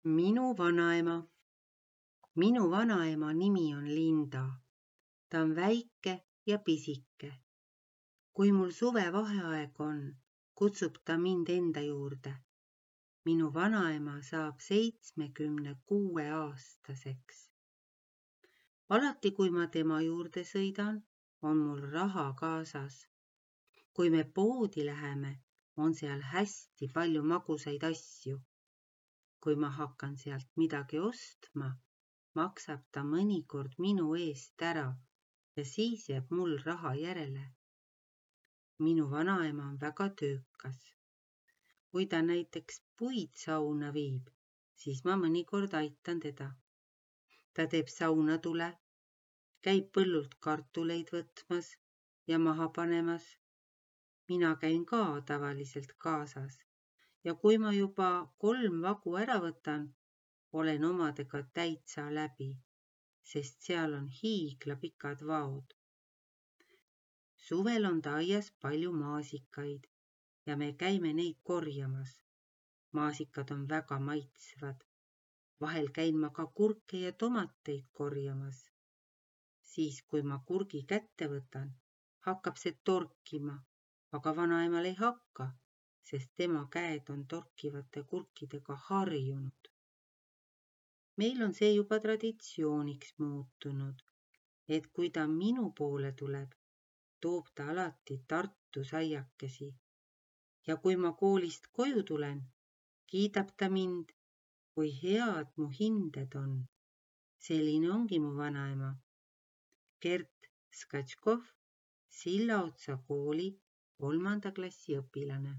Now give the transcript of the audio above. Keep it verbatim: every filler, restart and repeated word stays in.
Minu vanaema. Minu vanaema nimi on Linda. Ta on väike ja pisike. Kui mul suvevaheaeg on, kutsub ta mind enda juurde. Minu vanaema saab seitsmekümne kuue aastaseks. Alati kui ma tema juurde sõidan, on mul raha kaasas. Kui me poodi läheme, on seal hästi palju magusaid asju. Kui ma hakkan sealt midagi ostma, maksab ta mõnikord minu eest ära ja siis jääb mul raha järele. Minu vanaema on väga töökas. Kui ta näiteks puid sauna viib, siis ma mõnikord aitan teda. Ta teeb saunatule, käib põllult kartuleid võtmas ja maha panemas. Mina käin ka tavaliselt kaasas. Ja kui ma juba kolm vagu ära võtan, olen omadega täitsa läbi, sest seal on hiigla pikad vaod. Suvel on ta aias palju maasikaid ja me käime neid korjamas. Maasikad on väga maitsvad. Vahel käin ma ka kurke ja tomateid korjamas. Siis kui ma kurgi kätte võtan, hakkab see torkima, aga vanaemal ei hakka, sest tema käed on torkivate kurkidega harjunud. Meil on see juba traditsiooniks muutunud, et kui ta minu poole tuleb, toob ta alati Tartu saiakesi. Ja kui ma koolist koju tulen, kiidab ta mind, kui head mu hinded on. Selline ongi mu vanaema. Gert Skatškov, Sillaotsa kooli kolmanda klassi õpilane.